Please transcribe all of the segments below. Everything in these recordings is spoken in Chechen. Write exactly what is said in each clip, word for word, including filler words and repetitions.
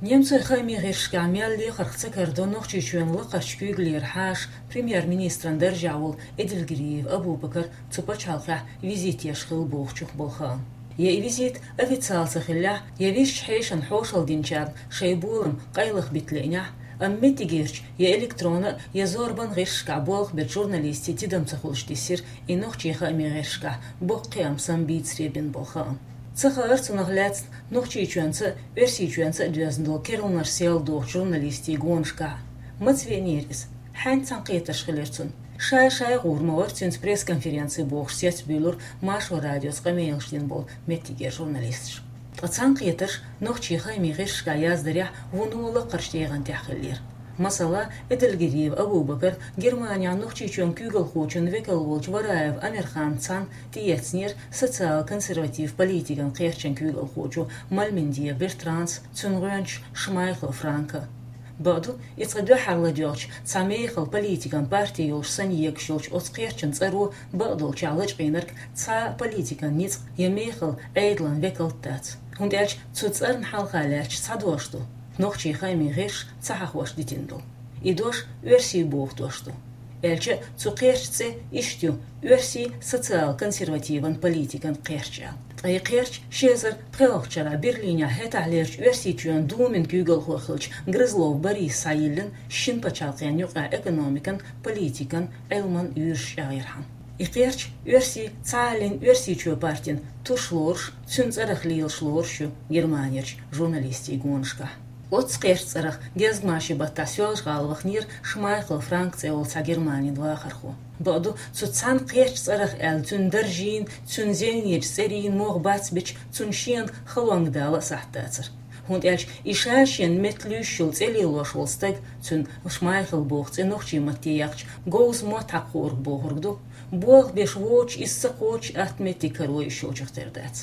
Немцойн хаамийн гӀирсашкахь мел лехарх ца кардо Нохчийчоьнан лакхарчу куьйгаллера хьаша премьер-министран даржехь волу Эдельгериев Абубакар цу пачхьалкхехь визит еш хилла бохучух болу хаам. Я и визит официал ца хиллехь, я висчу хьешана хьошалла динчарна шайн болам къайлаха бита лиънехь, амма меттигерчу я электронан а, я зорбан гӀирсашкахь болх берг журналистийн тидам ца хуьлуш диссира и нохчийн хаамийн гӀирсашкахь боккха кхиам самбийцаре бина болу хаам. Ца хаара цунах лаьцна Нохчийчоьнца а, Оьрсийчоьнца а доьзна долу керланаш сел дохучу журналистийн гонашкахь. Маца веанера иза? Хьаьнца цхьаьнакхетарш хилира цуьнан. Шай-шай гӀур ма вара цуьнца пресс-конференци бохуш цецбуьйлура Маршо радиоца къамелаш дина болу меттигера журналисташ. Ткъа цхьаьнакхетарш нохчийн хаамийн гӀирсашкахь яздарехь вуно лакхарчу тӀегӀан тӀехь хиллера. Масала, Эдельгериев Абубакар Германехь Нохчийчоьнан куьйгалхочун векал волчу Вараев Амирханца цхьаьна тӀеэцнера социал-консерватив политикан кхерчан куьйгалхочо Мальмендиев Бертранца, цуьнан гӀоьнча Шмайхл Франка. Бакъду, и цкъа дуьххьара ладоьгӀча, цхьа мехала политикан парти йолуш санна егаш йолчу оцу кхерчан цӀаро бакъдолчохь лачкъийнарг цхьа а политикан ницкъ я мехала Ӏедалан векалт дац. ХӀунда аьлча цу цӀарна хьалха лаьтташ цхьа дош ду, нохчийн хаамийн гӀирсаша ца хьахош дитина ду. И дош оьрсийн боху дош ду. Аьлча а цу кхерчан цӀе иштта ю: оьрсийн социал-консервативан политикан кхерч аьлла. Ткъа и кхерч ши эзар пхоьалгӀачу шарахь Берлинехь хӀетахьлерчу Оьрсийчоьнан Думин куьйгалхо хиллачу Грызлов Бориса схьайиллина шина пачхьалкхенна юкъахь экономикан, политикан, Ӏилман уьйраш чӀагӀъярхьама. И кхерч оьрсийн цхьааллин Оьрсийчоьнан партин туш лоруш, цуьнан цӀарах лелаш лоруш ю Германерчу журналистийн гонашкахь. Оццу кхерчан цӀарах гезгмашин баттахь Соьлжа-ГӀала ваханера Шмайхл Франк цӀе йолу цхьа Германин вахархо. Бакъду, цу цхьана кхерчан цӀарах аьлла, цуьнан даржийн, цуьнан зеленечу цӀерийн могӀа бацбича, цунна шена халонга дала а сахьт дацара. ХӀунда аьлча и ша шена метта луьйш йолу цӀе лелош волу стаг, цуьнан Шмайхл боху цӀе нохчийн матте яхча, говза мотт хьакхоург бохург ду. Болх беш воцуш, иза ца кхочуш, атта меттиг каро йиш йолчух тера дац.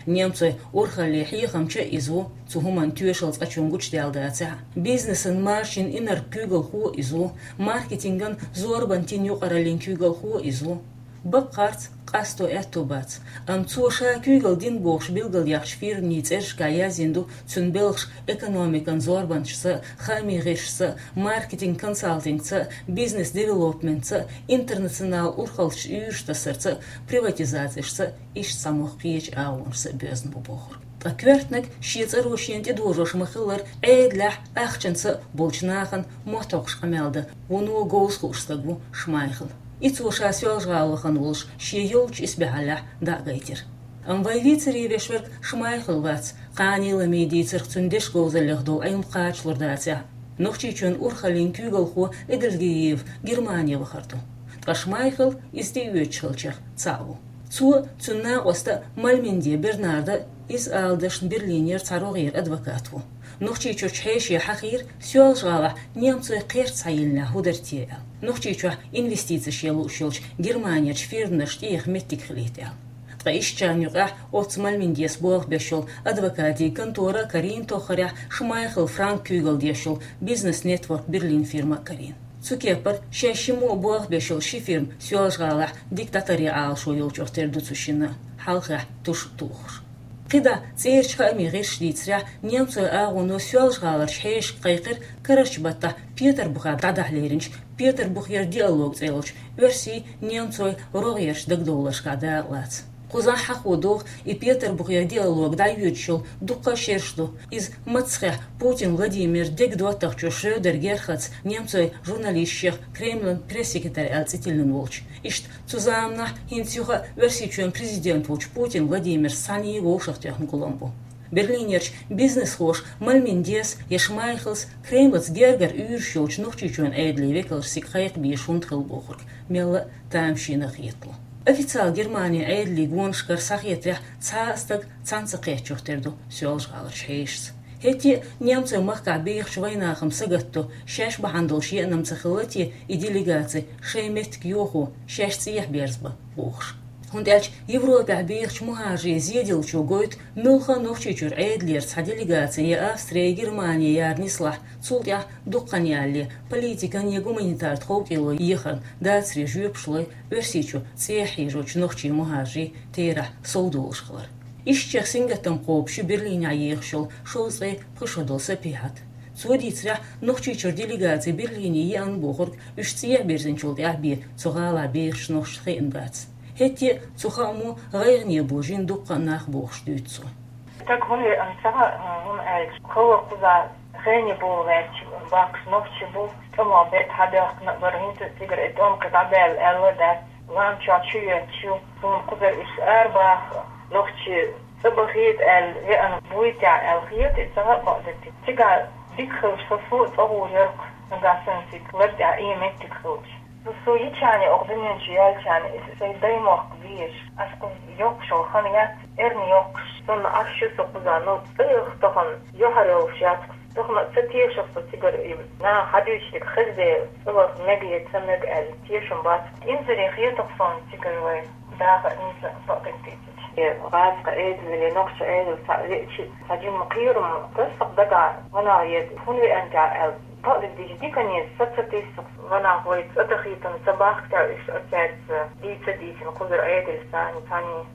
Немцойн урхаллин хьехамча а иза ву, цу хӀуманна тоьшалла цкъачунна гучудаьлла дацахь а. Бизнесан маршин инарг куьйгалхо а иза ву, маркетинган, зорбан тин юкъараллин куьйгалхо а иза ву. Баккхарца, къасто аьтто бац, амма цо ша куьйгалла дина бохуш билгалъяьхначу фирмийн цӀерашкахь яздина ду цуьнан белхаш экономикан зорбанашца а, хаамийн гӀирсашца а, маркетинг-консалтингца а, бизнес-девелопментца а, интернационал урхаллаш уьйраш тасарца а, приватизацешца а, иштта цхьа могӀа кхечу агӀонашца а боьзна бу бохург. Ткъа коьртаниг шен цӀаро шена тӀедожош ма-хиллара, Ӏедалехь, ахчанца а болчу нахана мотт хьокхуш къамел дан вуно говза хууш стаг ву Шмайхл. И цо ша Соьлжа-ГӀала вахана волуш шен йолчу исбаьхьаллехь дӀа а гайтира. Амма вай вийцаре веш верг Шмайхл вац, кхане а ламий дийцарх цуьнан дешан говзаллех долу Ӏилма кхачалур дацахь а. Нохчийчоьнан урхаллин куьйгалхо Эдельгериев Германе вахар ду. Ткъа Шмайхл иза тӀеоьцуш хиллачех цхьаъ ву. Цо а, цуьнан накъоста а Мальменди Бернарда а, иза ала дашна, Берлинера цхьа рогӀера адвокат ву. Нохчийчуьрчу хьеше хьахийра, Соьлжа-ГӀалахь немцойн кхерч схьайиллинехь хӀун дара те аьлла. Нохчийчохь инвестицеш ян лууш йолчу Германерчу фирманашна тӀеэха меттиг хилийта аьлла. Ткъа ишттачарна юкъахь оццу Мальмендес болх беш йолу адвокатийн контора а карийна тоххарехь Шмайхл Франк куьйгалла деш йолу Бизнес Нетворк Берлин фирма а карийна. Цу кепара шаьш шиммо а болх беш йолу ши фирма Соьлжа-ГӀалахь дика дӀатаръян Ӏалашо йолчух тера ду цу шинна а, хьалххехь туш а тухуш. КхидӀа цӀерачу хаамийн гӀирсаша дийцарехь, немцойн агӀоно Соьлжа-ГӀаларчу хьешашка кхайкхира карарчу баттахь Петарбухехь дӀадахьа леринчу Петарбухера диалог цӀе йолчу оьрсийн, немцойн рогӀерчу дагадовларшкахь дакъалаца. Кхузахь хьахо догӀу, и Петарбухера диалог дӀайоьдуш йолу дуккха а шераш ду. Иза маццахехь Путин Владимир дега доттагӀчо Шрёдер Герхарда немцойн журналистех Кремлан пресс-секретарь аьлла цӀе тиллина волчу. Иштта цу заманахь хӀинца юха а Оьрсийчоьнан президент волчу Путин Владимирца цхьаьний вовшахтоьхна гулам бу. Берлинерчу бизнесхоша Мальмендес я Шмайхлс Кремлаца гергара уьйраш йолчу Нохчийчоьнан Ӏедалан векалш цига кхайкха безаш хӀунда хилла бохург мелла а тамашийна хетало. Официал Германин Ӏедалан гонашкара схьахетарехь, цхьа а стаг цхьаьна ца кхеттачух тера ду Соьлжа-ГӀаларчу хьешашца. ХӀетте а немцойн махкахь бехачу вайнахана сагатдо, шаьш бахьана долуш еанам ца хилла те и делегаци шайн меттиг йохо, шаьш цӀехьа берзабан бохуш. ХӀунда аьлча Европехь бехачу мухӀажарийн зеделлачо гойту, муьлхха а Нохчийчуьра Ӏедалера цхьа делегаци я Австри, я Германи яра нислахь, цул тӀаьхьа дукха хан ялале, политикан я гуманитар тховкӀело ехарна дацаре жоьпаш лой, Оьрсийчу цӀехьа хьежочу нохчийн мухӀажарийн терахь сов долуш хилар. Ишттех сингаттам кхобуш ю Берлинехь ехаш йолу шовзткъе пхи шо долу Сапихьат. Цо дийцарехь, Нохчийчуьра делегаци Берлине еана бохург уьш цӀехьа бирзинчул тӀаьхьа бен цу гӀалахь бехачу нохчашна хиъна бац. ХӀетте а цу хаамо гӀайгӀане божийна дуккха а нах бохуш дуьйцу цо. Стаг хӀунда веана ца хаьа, хӀунда аьлча хала кхузахь гӀайгӀане боху гӀерташ бахкаш нохчий бу, тӀамах бетта хьадоьхкина а бара, хӀинца а цигара и тӀом кхин дӀабаьлла аьлла а дац, лам чохь чу йоьттуш ю, суна кхузара уьш арабаха, нохчий цӀа бахийта аьлла веана буй те аьлла хета, и ца хаьа бакъдерг. Цигахь дика хилча, со, со а цӀа гӀур яра-кх, нагахь санна цига лар тӀехь и меттиг хилча. Со, со йичхьана, оха дуьнен чу яьлчхьана, иза сайн даймохк безаш, ас кхуза йоккхуш йолу хан яц, эрна йоккхуш, санна Ӏаш ю со кхузахь, но цӀа яха тахана юьхьар йолуш яц-кх. Тахана ца тешара со цигара, и наха хьадуьйцуш дерг хезде, цӀа ваха мега я ца мега аьлла, тешам бац. Инзаре хета-кх суна цигара вай дахар, хӀинца бакъдерг дийцича. Э, гӀазкхийн Ӏедале, нохчийн Ӏедале цхьаъ веача, цхьа жимма кхерам таса-кх дагахь, ванах еда, хӀунда веана те аьлла. Бакъдерг дийцича, диканца со ца тесна-кх, ванах вай цӀа дахийтина ца бахка те уьш, а цаьрца дийца а дийцина кхузара Ӏедалца цхьаьна, цхьаьна.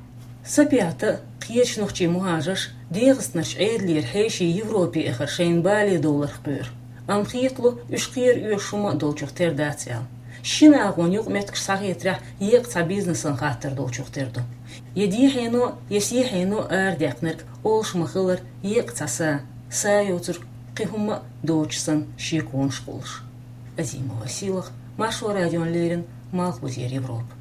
Сапихьата а, кхечу нохчийн мухӀажарша ДегӀастанарчу Ӏедалера хьеший Европе эхар шайна бале довларх кхоьру. Амма хетало, уьш кхера оьшуш хӀума а долчух тера дац аьлла. Шина агӀонан юкъаметтигаш схьахетарехь, еккъа цхьа бизнесан хаттар долчух тера ду. Я дехьено, я сехьено арадаьккхинарг олуш ма-хиллара, еккъа цхьа са, са йоцург кхин хӀумма а доцуш санна, шеконаш кхуллуш. Азимова Сийлаха, Маршо радиона леррина, Малхбузера Европа.